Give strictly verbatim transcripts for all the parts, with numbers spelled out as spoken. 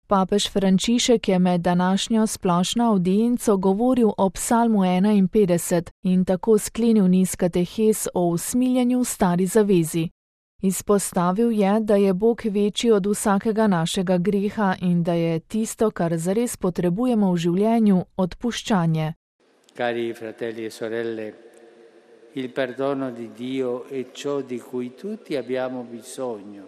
Papež Frančišek je med današnjo splošno avdienco govoril o psalmu enainpetdeset in tako sklenil niz katehes o usmiljenju v stari zavezi. Izpostavil je, da je Bog večji od vsakega našega greha in da je tisto, kar zares potrebujemo v življenju, odpuščanje. Cari fratelli e sorelle, il perdono di Dio è ciò di cui tutti abbiamo bisogno.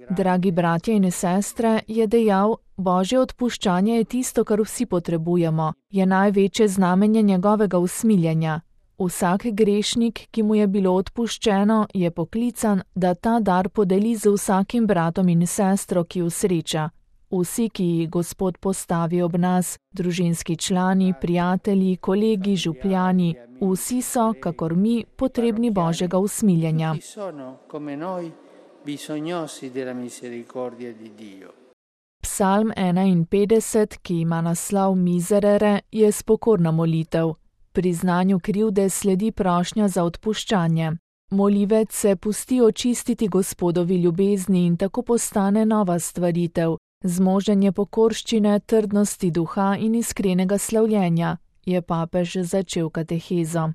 Dragi bratje in sestre, je dejal, Božje odpuščanje je tisto, kar vsi potrebujemo, je največje znamenje njegovega usmiljenja. Vsak grešnik, ki mu je bilo odpuščeno, je poklican, da ta dar podeli z vsakim bratom in sestro, ki usreča. Vsi, ki jih Gospod postavi ob nas, družinski člani, prijatelji, kolegi, župljani, vsi so, kakor mi, potrebni Božjega usmiljenja. Psalm enainpetdeset, ki ima naslov Miserere, je spokorna molitev. Priznanju krivde sledi prošnja za odpuščanje. Molivec se pusti očistiti Gospodovi ljubezni in tako postane nova stvaritev, zmoženje pokorščine, trdnosti duha in iskrenega slavljenja, je papež začel katehezo.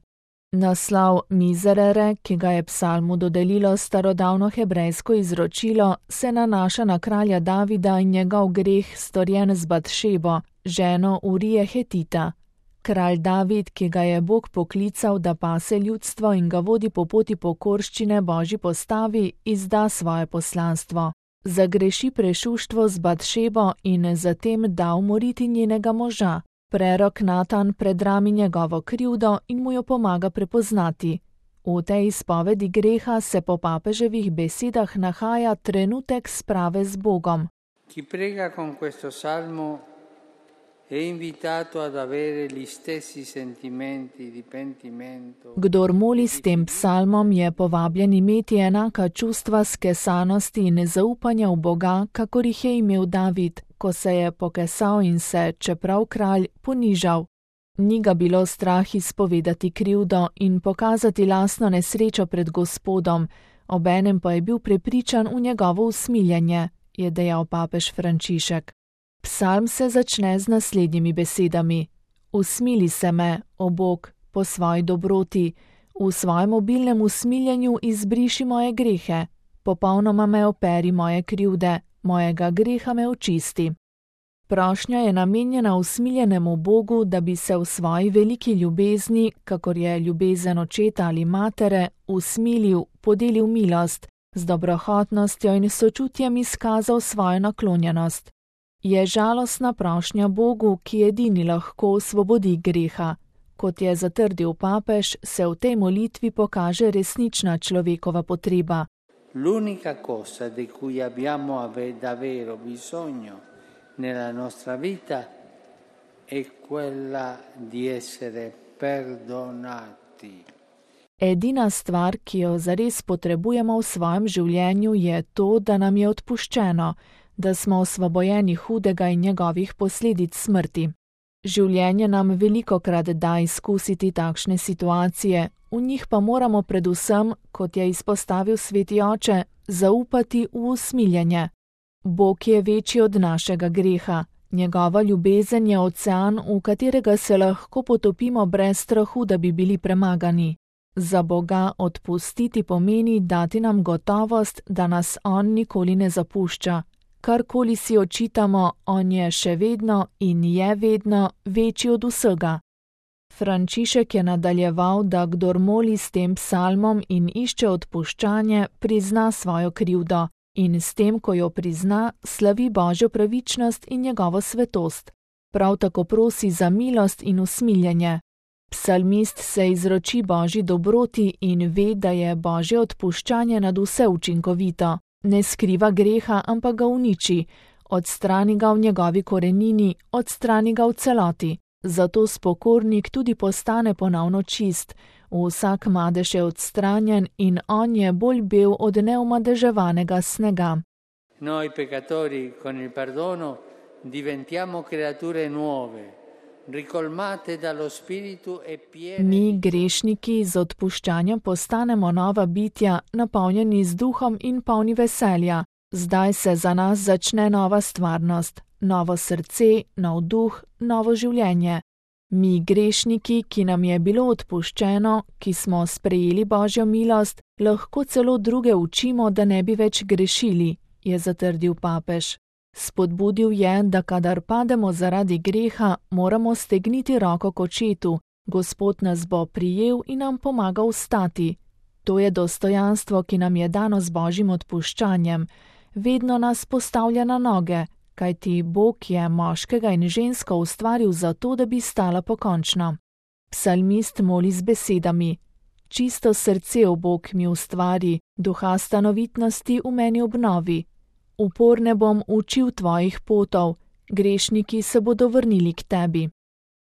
Naslov Miserere, ki ga je psalmu dodelilo starodavno hebrejsko izročilo, se nanaša na kralja Davida in njegov greh storjen z Batšebo, ženo Urije Hetita. Kralj David, ki ga je Bog poklical, da pase ljudstvo in ga vodi po poti pokorščine Božji postavi, izda svoje poslanstvo. Zagreši prešuštvo z Batšebo in zatem da umoriti njenega moža. Prerok Natan predrami njegovo krivdo in mu jo pomaga prepoznati. V tej izpovedi greha se po papeževih besedah nahaja trenutek sprave z Bogom. Chi prega con questo salmo è invitato ad avere gli stessi sentimenti di pentimento. Kdor moli s tem psalmom, je povabljen imeti enaka čustva skesanosti in zaupanja v Boga, kakor jih je imel David, ko se je pokesal in se, čeprav kralj, ponižal. Ni ga bilo strah izpovedati krivdo in pokazati lastno nesrečo pred Gospodom, obenem pa je bil prepričan v njegovo usmiljenje, je dejal papež Frančišek. Psalm se začne z naslednjimi besedami. Usmili se me, o Bog, po svoji dobroti, v svojem obilnem usmiljenju izbriši moje grehe, popolnoma me operi moje krivde, mojega greha me očisti. Prošnja je namenjena usmiljenemu Bogu, da bi se v svoji veliki ljubezni, kakor je ljubezen očeta ali matere, usmilil, podelil milost, z dobrohotnostjo in sočutjem izkazal svojo naklonjenost. Je žalostna prošnja Bogu, ki edini lahko osvobodi greha. Kot je zatrdil papež, se v tej molitvi pokaže resnična človekova potreba. L'unica cosa di cui abbiamo davvero bisogno nella nostra vita è quella di essere perdonati. Edina stvar, ki jo zares potrebujemo v svojem življenju, je to, da nam je odpuščeno, da smo osvobojeni hudega in njegovih posledic smrti. Življenje nam velikokrat da izkusiti takšne situacije, v njih pa moramo predvsem, kot je izpostavil sveti oče, zaupati v usmiljenje. Bog je večji od našega greha, njegova ljubezen je ocean, v katerega se lahko potopimo brez strahu, da bi bili premagani. Za Boga odpustiti pomeni dati nam gotovost, da nas on nikoli ne zapušča. Karkoli si očitamo, on je še vedno in je vedno večji od vsega. Frančišek je nadaljeval, da kdor moli s tem psalmom in išče odpuščanje, prizna svojo krivdo in s tem, ko jo prizna, slavi Božjo pravičnost in njegovo svetost. Prav tako prosi za milost in usmiljenje. Psalmist se izroči Božji dobroti in ve, da je Božje odpuščanje nad vse učinkovito. Ne skriva greha, ampak ga uniči, odstrani ga v njegovi korenini, odstrani ga v celoti. Zato spokornik tudi postane ponovno čist, vsak madež je odstranjen in on je bolj bel od neumadeževanega snega. Noi peccatori con il perdono diventiamo creature nuove, ricolmate dallo spirito e piene. Mi, grešniki, z odpuščanjem postanemo nova bitja, napolnjeni z duhom in polni veselja. Zdaj se za nas začne nova stvarnost, novo srce, nov duh, novo življenje. Mi, grešniki, ki nam je bilo odpuščeno, ki smo sprejeli Božjo milost, lahko celo druge učimo, da ne bi več grešili, je zatrdil papež. Spodbudil je, da kadar pademo zaradi greha, moramo stegniti roko k očetu, Gospod nas bo prijel in nam pomagal vstati. To je dostojanstvo, ki nam je dano z Božjim odpuščanjem. Vedno nas postavlja na noge, kajti Bog je moškega in žensko ustvaril zato, da bi stala pokončno. Psalmist moli z besedami: Čisto srce, o Bog, mi ustvari, duha stanovitnosti v meni obnovi. Uporne bom učil tvojih potov, grešniki se bodo vrnili k tebi.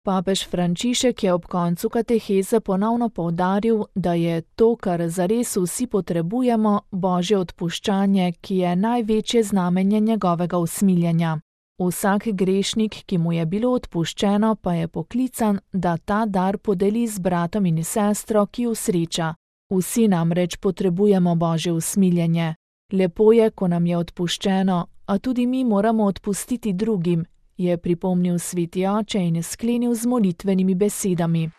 Papež Frančišek je ob koncu kateheze ponovno poudaril, da je to, kar zares vsi potrebujemo, Božje odpuščanje, ki je največje znamenje njegovega usmiljenja. Vsak grešnik, ki mu je bilo odpuščeno, pa je poklican, da ta dar podeli z bratom in sestro, ki jo sreča. Vsi namreč potrebujemo Božje usmiljenje. Lepo je, ko nam je odpuščeno, a tudi mi moramo odpustiti drugim, je pripomnil sveti oče in sklenil z molitvenimi besedami.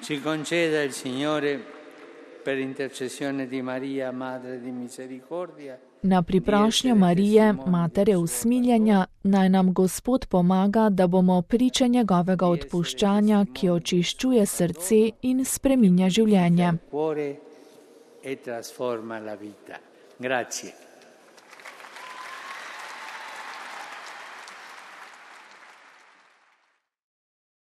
Ci conceda il Signore per intercessione di Maria, Madre di Misericordia. Na priprošnjo Marije, Matere usmiljenja, naj nam Gospod pomaga, da bomo priče njegovega odpuščanja, ki očiščuje srce in spreminja življenje. E trasforma la vita. Grazie.